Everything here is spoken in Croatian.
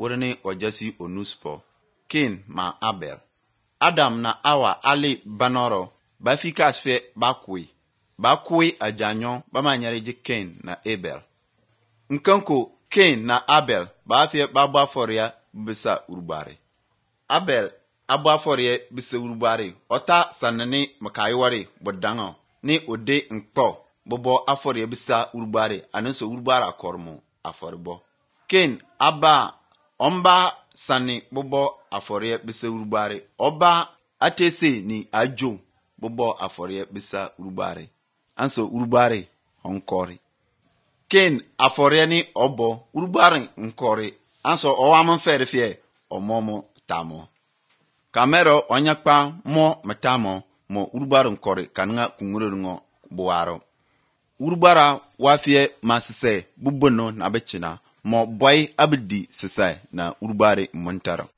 wurni ojasi onuspo. Cain ma Abel. Adam na Awa ali banoro ba fikas fe ba kui ajanyo ba manyare ji Cain na Abel. Nkanko Cain na Abel ba fe ba baforia bisa urubare. Abel abaforia bisa urubare ota sanani makaiware bodango ni ode nkpo bobo aforia bisa urubare anenso urubara kormo aforibo. Cain aba omba sani bobo aforia bisa urubare oba atese ni ajo bobo aforia bisa urubare anso urubare onkori. Cain aforia ni obo urubare nkori anso owam fere fie omomo tamo. Kamero onyakpa mo matamo mo urubare nkori kananga kungure ngo buwaro. Urubara wafie masise bubono na bechina mo boy abdi sisa na urubare montaro.